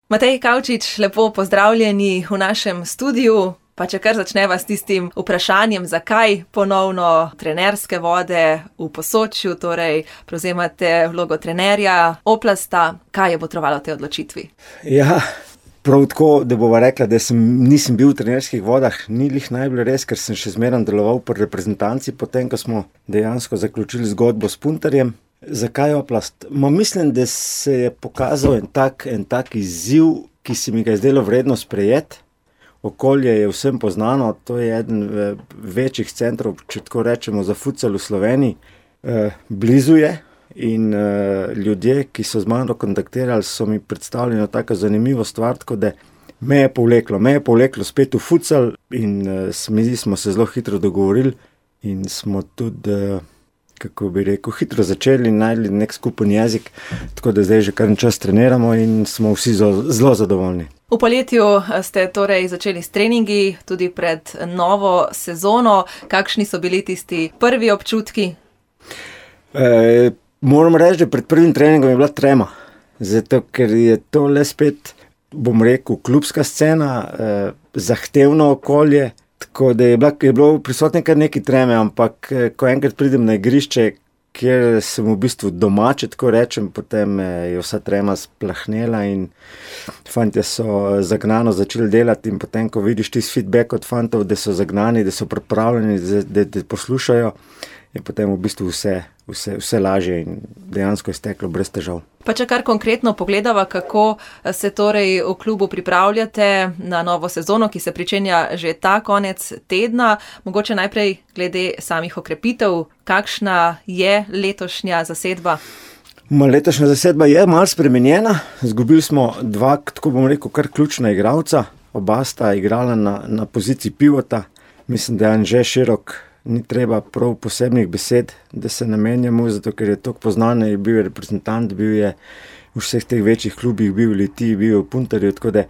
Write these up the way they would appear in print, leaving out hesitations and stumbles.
Matej Kavčič, lepo pozdravljeni v našem studiu. Pa če kar začneva s tistim vprašanjem, zakaj ponovno trenerske vode v Posočju, torej prevzemate vlogo trenerja Oplasta, kaj je botrovalo tej odločitvi? Ja, prav tako, da bova rekla, da nisem bil v trenerskih vodah, ni lih najbolj res, ker sem še zmeraj deloval pri reprezentanci, potem ko smo dejansko zaključili zgodbo s Puntarjem. Zakaj Oplast? Mislim, da se je pokazal en tak izziv, ki se mi ga je zdelo vredno sprejeti. Okolje je vsem poznano, to je eden večjih centrov, če tako rečemo, za futsal v Sloveniji. Blizu je in ljudje, ki so z mano kontaktirali, so mi predstavljeno tako zanimivo stvar, tako da me je povleklo spet v futsal in smo se zelo hitro dogovorili in smo tudi, kako bi rekel, hitro začeli in najdli nek skupen jezik, tako da zdaj že kar čas treniramo in smo vsi zelo zadovoljni. V poletju ste torej začeli s treningi, tudi pred novo sezono. Kakšni so bili tisti prvi občutki? Moram reči, da pred prvim treningom je bila trema, zato ker je to le spet, bom rekel, klubska scena, zahtevno okolje, tako da je bilo prisotno kar nekaj treme, ampak ko enkrat pridem na igrišče, kjer sem v bistvu doma, če tako rečem, potem je vsa trema splahnela in fantje so zagnano začeli delati in potem, ko vidiš tisti feedback od fantov, da so zagnani, da so pripravljeni, da poslušajo, je potem v bistvu vse lažje in dejansko je steklo brez težav. Pa če kar konkretno pogledava, kako se torej v klubu pripravljate na novo sezono, ki se pričenja že ta konec tedna, mogoče najprej glede samih okrepitev, kakšna je letošnja zasedba? Letošnja zasedba je malo spremenjena, izgubili smo dva, tako bom rekel, kar ključna igralca, oba sta igrala na poziciji pivota, mislim, da je Anže Širok, ni treba prav posebnih besed, da se namenjamo, zato ker je toliko poznan, je bil reprezentant, bil je v vseh teh večjih klubih, bil v Litiji, bil je v Puntarju, tako da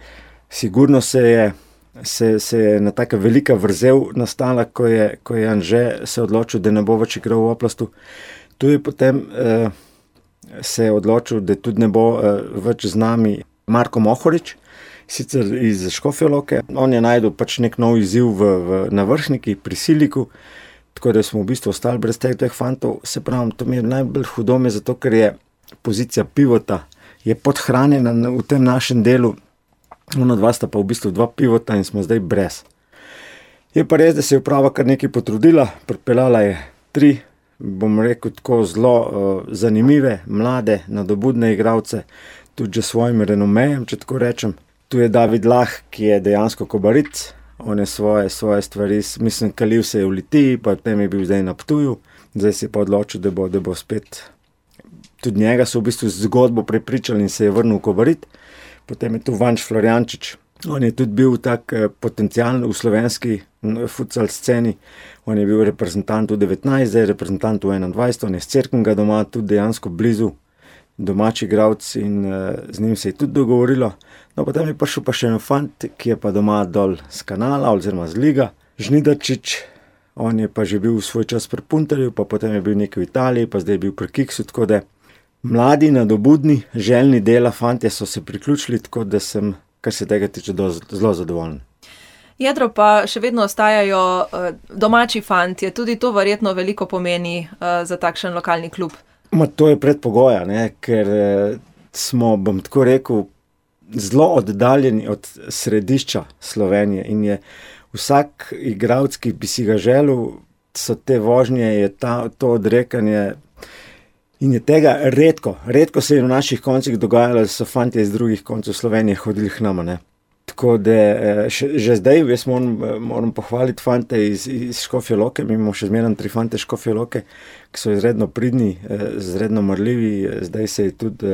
sigurno se je ena taka velika vrzel nastala, ko je Anže se odločil, da ne bo več igral v Oplastu. Tu je potem se je odločil, da tudi ne bo več z nami Marko Mohorič, sicer iz Škofje Loke. On je najdel pač nek nov izziv na Vršniki pri Siliku, tako da smo v bistvu ostali brez teh fantov. Se pravi, to mi je najbolj hudo, zato ker je pozicija pivota je podhranjena v tem našem delu. Ona dva sta pa v bistvu dva pivota in smo zdaj brez. Je pa res, da se je uprava kar nekaj potrudila, pripeljala je 3, bom rekel tako, zelo zanimive, mlade, nadobudne igralce, tudi že svojim renomejem, če tako rečem. Tu je David Lah, ki je dejansko Kobaric, on je svoje stvari, mislim, kalil se je v Litiji, pa potem je bil zdaj na Ptuju, zdaj se je pa odločil, da bo spet, tudi njega so v bistvu zgodbo prepričali in se je vrnil v Kobarit. Potem je tu Vanč Florjančič, on je tudi bil tak potencialen v slovenski futsal sceni, on je bil reprezentant v 19, zdaj je reprezentant v 21, on je s Cerknega doma, tudi dejansko blizu, domači igralec in z njim se je tudi dogovorilo. No, potem je prišel pa še en fant, ki je pa doma dol z Kanala oziroma z Liga, Žnidarčič, on je pa že bil v svoj čas pri Puntarju, pa potem je bil nekaj v Italiji, pa zdaj je bil pri Kiksu, tako da mladi, nadobudni, željni dela fantje so se priključili, tako da sem, kar se tega tiče, zelo zadovoljen. Jedro pa še vedno ostajajo domači fantje, tudi to verjetno veliko pomeni za takšen lokalni klub. To je predpogoja, ker smo, bom tako rekel, zelo oddaljeni od središča Slovenije in je vsak igralec, ki bi si ga želel, so te vožnje, je to odrekanje in je tega redko se je v naših koncih dogajalo, da so fantje iz drugih koncev Slovenije hodili k nama, Tako da že zdaj jaz moram pohvaliti fante iz Škofje Loke, mi imamo še zmeraj 3 fante Škofje Loke, ki so izredno pridni, izredno marljivi, zdaj se je tudi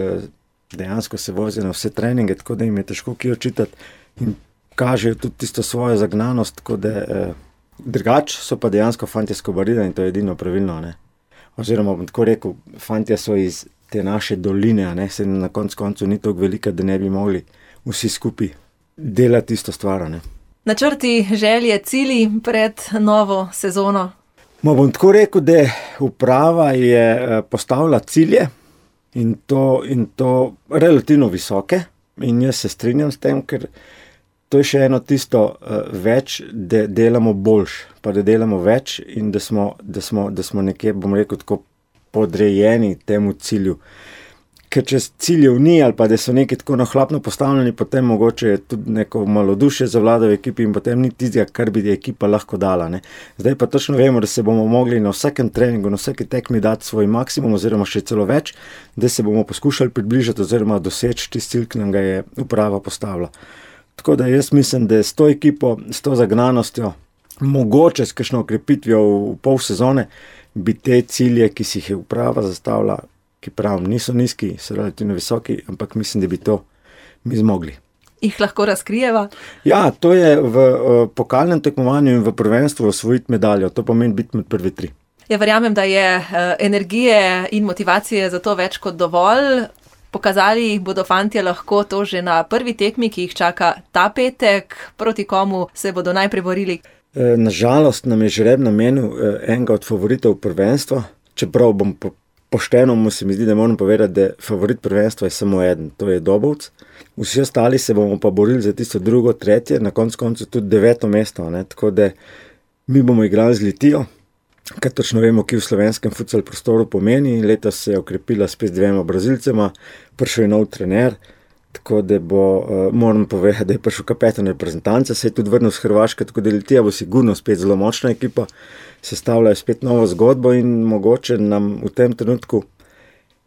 dejansko se vozijo na vse treninge, tako da jim je težko kje očitati in kažejo tudi tisto svojo zagnanost, tako da drugače so pa dejansko fantje s Kobarida in to je edino pravilno, Oziroma bom tako rekel, fantje so iz te naše doline, se na koncu ni toliko velika, da ne bi mogli vsi skupaj delati isto stvar, Načrti, želje, cilji pred novo sezono? Bom tako rekel, da uprava je postavila cilje in to relativno visoke. in jaz se strinjam s tem, ker to je še eno tisto več, da delamo boljš, pa da delamo več in da smo nekje, bom rekel, tako podrejeni temu cilju. Ker če ciljev ni ali pa da so neki tako nahlapno postavljeni, potem mogoče je tudi neko malodušje zavlada v ekipi in potem ni tistega, kar bi ekipa lahko dala. Ne. Zdaj pa točno vemo, da se bomo mogli na vsakem treningu, na vsaki tekmi dati svoj maksimum oziroma še celo več, da se bomo poskušali približati oziroma doseči tisti cilj, ki nam ga je uprava postavila. Tako da jaz mislim, da s to ekipo, s to zagnanostjo, mogoče s kakšno okrepitvijo v pol sezone, bi te cilje, ki si jih je uprava zastavila, ki pravim, niso nizki, so relativno visoki, ampak mislim, da bi to mi zmogli. Jih lahko razkrijeva? Ja, to je v pokalnem tekmovanju in v prvenstvu osvojiti medaljo. To pomeni biti med prvi 3. Ja, verjamem, da je energije in motivacije za to več kot dovolj. Pokazali jih bodo fantje lahko to že na prvi tekmi, ki jih čaka ta petek. Proti komu se bodo najprej borili? Nažalost nam je žreb namenil enega od favoritov prvenstva, čeprav bom pošteno se mi zdi, da moram povedati, da favorit prvenstva je samo eden, to je Dobovec. Vsi ostali se bomo pa borili za tisto 2., 3., na koncu tudi 9. mesto, ne? Tako da mi bomo igrali z Litijo, kar točno vemo, ki v slovenskem futsal prostoru pomeni. Letos se je okrepila spet z 2 Brazilcema, prišel je nov trener, tako da moram povedati, da je prišel kapetan reprezentance, se je tudi vrnil z Hrvaške, tako da Litija bo sigurno spet zelo močna ekipa, sestavljajo spet novo zgodbo in mogoče nam v tem trenutku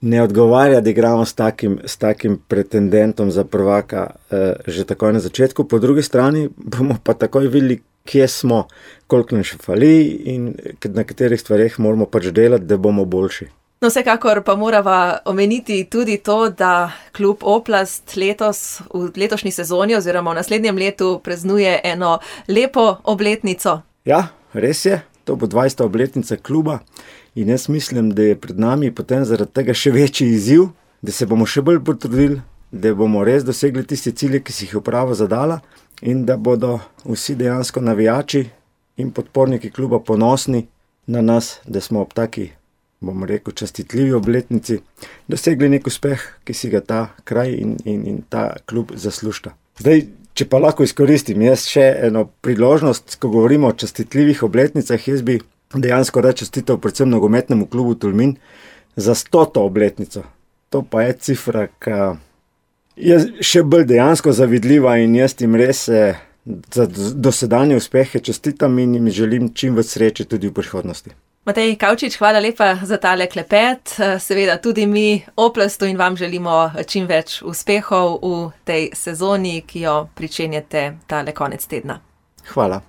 ne odgovarja, da igramo s takim pretendentom za prvaka že takoj na začetku. Po drugi strani bomo pa takoj videli, kje smo, koliko nam še fali in na katerih stvareh moramo pač delati, da bomo boljši. No, vsekakor pa morava omeniti tudi to, da klub Oplast letos v letošnji sezoni oziroma v naslednjem letu praznuje eno lepo obletnico. Ja, res je. To bo 20. obletnica kluba in jaz mislim, da je pred nami potem zaradi tega še večji izziv, da se bomo še bolj potrudili, da bomo res dosegli tiste cilje, ki si jih uprava zadala in da bodo vsi dejansko navijači in podporniki kluba ponosni na nas, da smo ob taki, bom rekel, častitljivi obletnici dosegli nek uspeh, ki si ga ta kraj in ta klub zaslužta. Zdaj, če pa lahko izkoristim jaz še eno priložnost, ko govorimo o častitljivih obletnicah, jaz bi dejansko rad čestital predvsem nogometnemu klubu Tolmin za 100. obletnico. To pa je cifra, ki je še bolj dejansko zavidljiva in jaz jim res za dosedanje uspehe čestitam in jim želim čim več sreče tudi v prihodnosti. Matej Kavčič, hvala lepa za tale klepet. Seveda tudi mi Oplastu in vam želimo čim več uspehov v tej sezoni, ki jo pričenjate tale konec tedna. Hvala.